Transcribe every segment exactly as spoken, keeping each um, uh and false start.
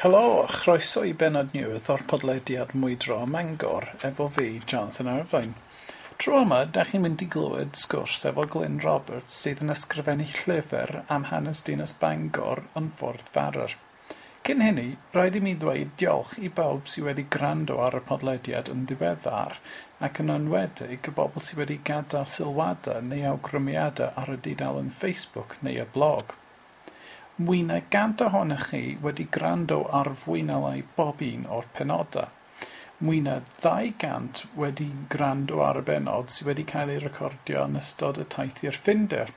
Helo, a chroeso i bennod newydd o'r podlediad Mwydro ym Mangor, efo fi, Jonathan Irvine. Tro yma, da chi'n mynd i glywed sgwrs efo Glyn Roberts sydd yn ysgrifennu llyfr am hanes dinas Bangor yn Ffordd Farrer. Cyn hynny, rhaid i mi ddweud diolch i bawb sydd wedi gwrando ar y podlediad yn ddiweddar ac yn enwedig y bobl sydd wedi gadael sylwadau neu awgrymiadau ar y dudalen Facebook neu y blog. Mwy na gant ohonoch chi wedi gwrando ar fwy na lai bob un o'r penodau. Mwy na ddau gant wedi gwrando ar y bennod sydd wedi cael ei recordio yn ystod y taith i'r Ffindir.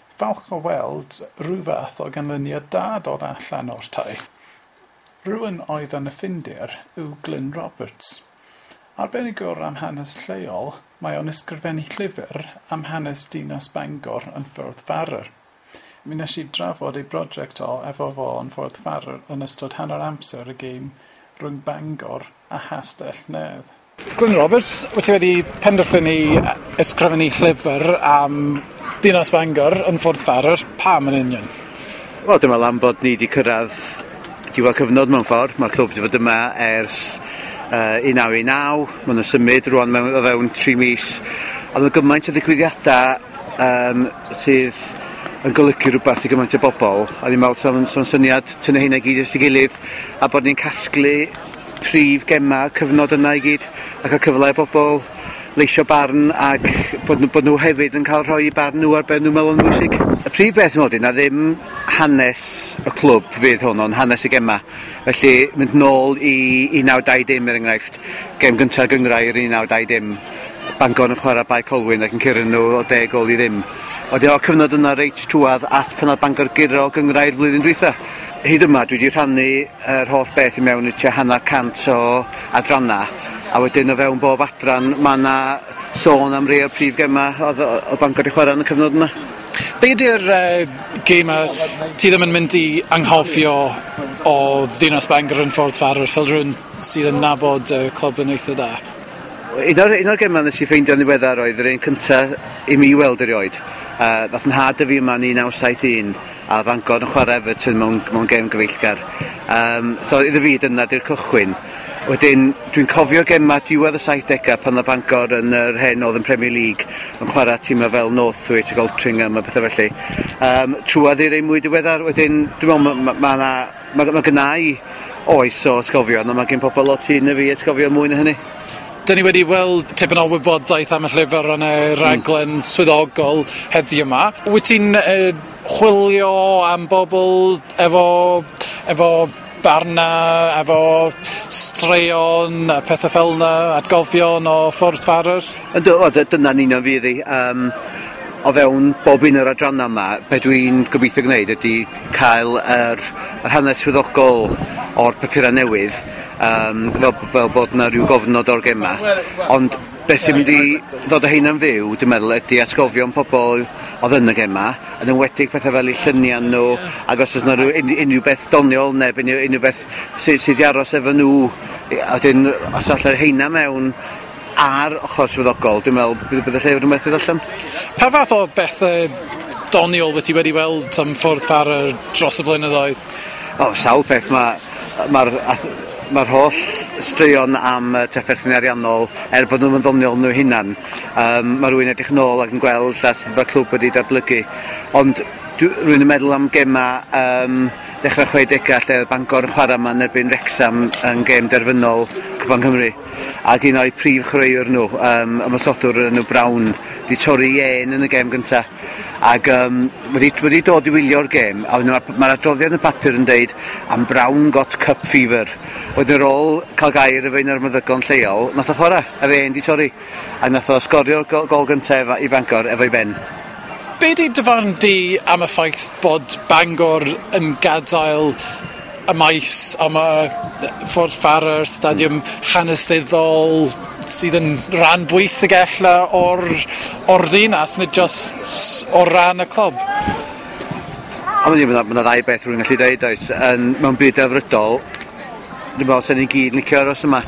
Falch o weld rhyw fath o ganlyniad da dod allan o'r taith. Rhywun oedd yn y Ffindir yw Glyn Roberts. Arbenigwr am hanes lleol, mae o'n ysgrifennu llyfr am hanes dinas Bangor yn Ffordd Farrer. Mi wnes i drafod ei brosiect o efo fo yn Ffordd Farrer yn ystod hanner amser y gêm rhwng Bangor a Chastell Nedd. Glyn Roberts, wyt ti wedi penderfynu ysgrifennu llyfr am dinas Bangor yn Ffordd Farrer. Pam yn union? Wel, dwi'n meddwl am bod ni wedi cyrraedd diwedd cyfnod mewn ffordd. Mae'r clwb wedi bod yma ers uh, un naw un naw. Maen nhw'n symud rwan mewn, o fewn tri mis. A mae gymaint o ddigwyddiadau um, sydd yn golygu rhywbeth i gymaint o bobl. A ni'n meddwl sa'n sa syniad tynnu hynna i gyd at ei gilydd a bod ni'n casglu prif gema cyfnod yna i gyd a cael cyfle i bobl leisio barn ac bod nhw, bod nhw hefyd yn cael rhoi barn nhw ar be nhw'n meddwl yn bwysig. Y prif beth yn na ddim hanes y clwb fydd hwn, ond hanes y gema. Felly mynd nôl i un naw dau dim er enghraifft, gem gyntaf gynghrair un naw dau dim, Bangor yn chwarae Bae Colwyn ac yn curo nhw o deg gol i ddim. Wedyn o'r cyfnod yna reit trwadd at pan oedd Bangor guro gynghrair flwyddyn dwytha. Hyd yma dwi wedi rhannu yr holl beth i mewn i tua hanner cant o adrannau, a wedyn o fewn bob adran mae yna sôn am rei o'r prif gema oedd, oedd Bangor wedi chwarae yn y cyfnod yma. Be ydy'r uh, gema ti ddim yn mynd i anghofio o ddinas Bangor yn Ffordd Farrer fel rhywun sydd yn nabod y uh, clwb yn eitha da? Un o'r, un o'r gemau nes i ffeindio'n ddiweddar oedd yr un cyntaf i mi weld erioed. Uh, ddath 'nhad â fi yma yn un naw saith un a Bangor yn chwarae Everton mewn, mewn gêm gyfeillgar. Um, so iddo fi dyna di'r cychwyn. Wedyn dwi'n cofio gema diwedd y saithdegau pan oedd Bangor yn yr hen Northern Premier League yn chwarae tîmau fel Northwich ac Altrincham a pethau felly. Um, trwadd i'r ein mwy diweddar, wedyn dwi'n meddwl mae ma, ma, ma, ma, ma gynna i oes o atgofion, ond mae gen pobl lot hŷn na fi atgofion mwy na hynny. Dyn ni wedi weld tipyn o wybodaeth am y llyfr yn y rhaglen mm. swyddogol heddiw yma. Wyt ti'n uh, chwilio am bobl efo, efo barna, efo straeon a pethau fel yna, atgofion o Ffordd Farrer? Yndw, dyna'n union fydd hi. Um, o fewn bob un o'r adrannau yma, be dwi'n gobeithio gwneud ydy cael yr, yr hanes swyddogol o'r papurau newydd, um, fel, fel bod yna rhyw gofnod o'r gema. Ond beth sy'n mynd i ddod â heina'n fyw, dwi'n meddwl, ydy atgofion pobl oedd yn y gema, yn enwedig pethau fel eu lluniau nhw, ac os oes yna rhyw, unrhyw beth doniol neu unrhyw, unrhyw beth sydd, sydd wedi aros efo nhw, a wedyn os allai'r heina mewn ar ochr swyddogol, dwi'n meddwl bydd, bydd y llyfr yn werth i ddarllen. Pa fath o bethau doniol wyt ti wedi weld am Ffordd Farrer dros y blynyddoedd? O, sawl peth. Mae'r ma, mae'r holl straeon am uh, trafferthion ariannol, er bod nhw'n ddoniol nhw hunan, um, mae rhywun edrych nôl ac yn gweld lla sut mae'r clwb wedi datblygu. Ond rwy'n yn meddwl am gema um, dechrau chwedegau lle oedd Bangor yn chwarae yma yn erbyn Wrexham yn gêm derfynol Cwpan Cymru. Ac un o'i prif chwaraewr nhw, um, ymosodwr enw Brown, di torri ên yn y gêm gyntaf. Ac um, wedi, wedi dod i wylio'r gêm, a mae'r ma adroddiad yn y papur yn deud am Brown got cup fever. Wedyn ar ôl cael gair efo un o'r meddygon lleol, nath o chwarae, a fe ên di torri. A nath o sgorio'r gol, gol gyntaf i Bangor efo'i ben. Be di dy farn di am y ffaith bod Bangor yn gadael y maes am y Ffordd Farrer, stadiwm hanesyddol sydd yn rhan bwysig ella o'r, o'r ddinas, nid just o ran y clwb? Ond mae yna ddau beth rwy'n gallu dweud, oes. Yn, mewn byd delfrydol, dwi'n meddwl sy'n ni gyd yn licio aros yma.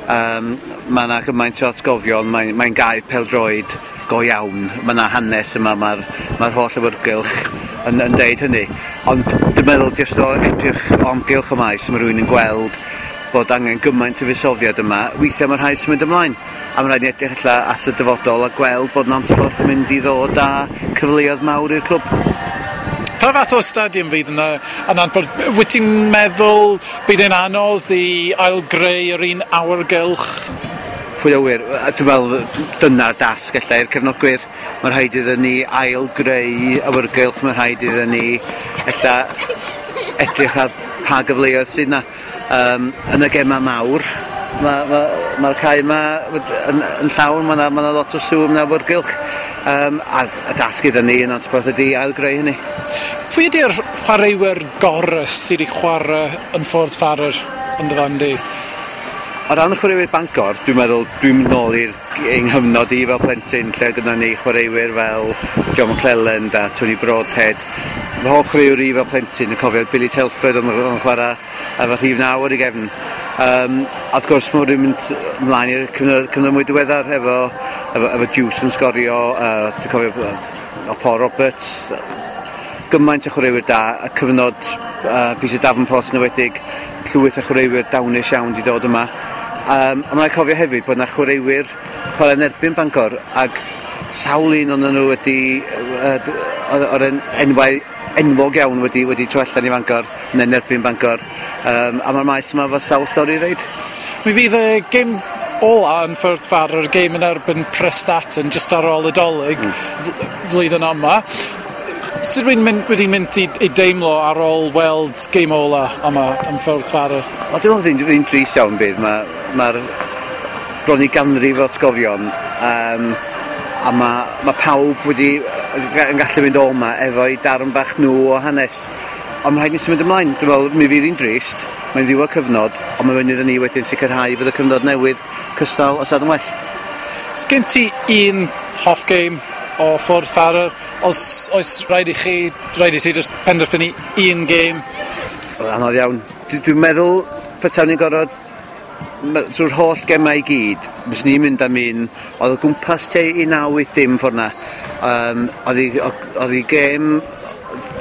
Um, mae yna gymaint o atgofion, mae'n mae gae pêl-droed go iawn. Mae yna hanes yma, mae'r mae holl awyrgylch yn, yn deud hynny. Ond dwi'n meddwl jyst o edrych o amgylch y maes, mae rhywun yn gweld bod angen gymaint o fuddsoddiad yma. Weithiau mae rhaid symud ymlaen. A mae rhaid ni edrych ella at y dyfodol a gweld bod Nantporth yn mynd i ddod â cyfleoedd mawr i'r clwb. Pa fath o stadiwm fydd yna yn Nantporth? Wyt ti'n meddwl bydd e'n anodd i ailgreu yr un awyrgylch? Pwy a ŵyr, dwi'n meddwl dyna'r dasg ella i'r cefnogwyr. Mae rhaid iddyn ni ailgreu awyrgylch, mae rhaid iddyn ni ella edrych ar pa gyfleoedd sydd yna. Um, yn y gemau mawr, mae'r ma, ma, ma cae yma yn, yn llawn, mae yna ma lot o sŵn, mae yna awyrgylch. Um, a, a dasg iddyn ni yn Nantporth ydy ailgreu hynny. Pwy ydy'r chwaraewyr gorau sydd wedi chwarae yn Ffordd Farrer yn dy farn di? O ran y chwaraewyr Bangor, dwi'n meddwl dwi'n mynd nôl i'r nghyfnod i fel plentyn lle gyda ni chwaraewyr fel John McClelland a Tony Broadhead. Fy hoff chwaraewr i fel plentyn yn cofio Billy Telford yn, yn chwarae efo rhif naw ar ei gefn. Um, a wrth gwrs mae'n mynd ymlaen i'r cyfnod, cyfnod mwy diweddar efo, efo, efo Juice yn sgorio, uh, dwi'n cofio o Paul Roberts, gymaint o chwaraewyr da, y cyfnod uh, Peter Davenport yn enwedig, llwyth o chwaraewyr dawnus iawn wedi dod yma. Um, a mae'n cofio hefyd bod yna chwaraewyr chwarae yn erbyn Bangor, ac sawl un o'n nhw wedi, uh, o'r enwau enwog iawn wedi, wedi troi allan i Bangor, neu yn erbyn Bangor. Um, a mae'r maes yma efo sawl stori i ddeud. Mi fydd y gêm ola yn Ffordd Farrer, gêm yn erbyn Prestatyn, jyst ar ôl y Dolig mm. flwyddyn yma. Sut dwi'n mynd, wedi mynd i, i deimlo ar ôl weld gêm ola yma yn Ffordd Farrer? O, dwi'n meddwl fi'n drist iawn bydd. Mae'r ma bron i ganrif o atgofion, um, a mae ma pawb wedi yn gallu mynd o yma efo'i darn bach nhw o hanes. Ond mae rhaid ni symud ymlaen. Dwi'n meddwl, mi fydd hi'n drist, mae'n ddiwedd cyfnod, ond mae'n fyny iddyn ni wedyn sicrhau bod y cyfnod newydd cystal os nad yn well. Sgyn ti un hoff game o Ffordd Farrer? Os oes rhaid i chi, rhaid i ti just penderfynu un game? Anodd iawn. Dwi'n meddwl petawn ni'n gorfod trwy'r holl gemau i gyd, fyswn i'n mynd am un, oedd o gwmpas tua un naw wyth dim ffordd na. Um, oedd hi gêm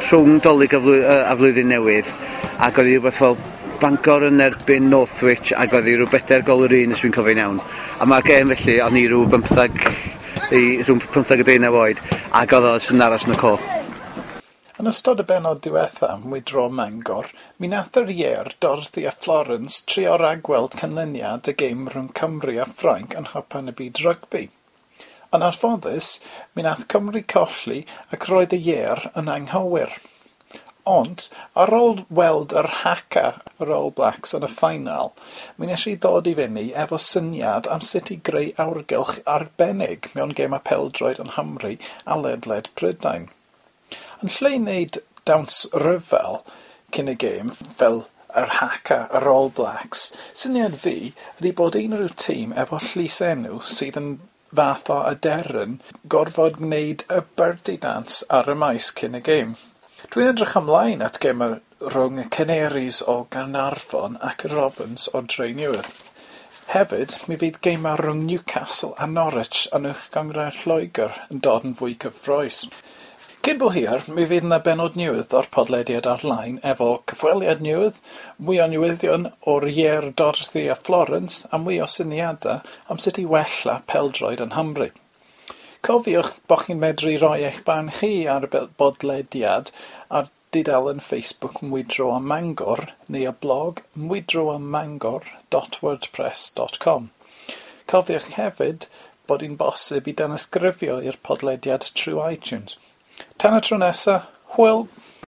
rhwng Dolig a, flwy, a Flwyddyn Newydd, ac oedd hi rhywbeth fel Bangor yn erbyn Northwich, ac oedd hi rhyw bedair gol yr un, os dwi'n cofio'n iawn. A mae'r gêm felly, o'n i rhyw bymthag, i, rhwng pymthag a deunaw oed, ac oedd o'n aros yn y co. Yn ystod y bennod diwetha, Mwydro Mangor, mi nath yr ieir Dorothy a Florence trio ragweld canlyniad y gêm rhwng Cymru a Ffrainc yn Nghwpan y Byd Rygbi. Yn anffodus, mi nath Cymru colli ac roedd y ieir yn anghywir. Ond, ar ôl weld yr Haka yr All Blacks yn y ffainal, mi nes i ddod i fyny efo syniad am sut i greu awyrgylch arbennig mewn gemau pêl-droed yn Nghymru a ledled Prydain. Yn lle wneud dawns ryfel cyn y gêm fel yr Haka yr All Blacks, syniad fi ydy bod unrhyw tîm efo llysenw sydd yn fath o aderyn gorfod gwneud y birdie dance ar y maes cyn y gêm. Dwi'n edrych ymlaen at gemau rhwng y Canaries o Gaernarfon ac y Robins o Drenewydd. Hefyd, mi fydd gemau rhwng Newcastle a Norwich yn Uwch Gynghrair Lloegr yn dod yn fwy cyffrous. Cyn bo hir, mi fydd yna bennod newydd o'r podlediad ar-lein efo cyfweliad newydd, mwy o newyddion o'r ieir Dorothy a Florence a mwy o syniadau am sut i wella pêl-droed yn Nghymru. Cofiwch bo' chi'n medru rhoi eich barn chi ar y bodlediad ar dudalen Facebook Mwydro a Mangor neu y blog mwydroamangor dot wordpress dot com. Cofiwch hefyd bod hi'n bosib i danysgrifio i'r podlediad trwy iTunes. Tan y tro nesa, hwyl!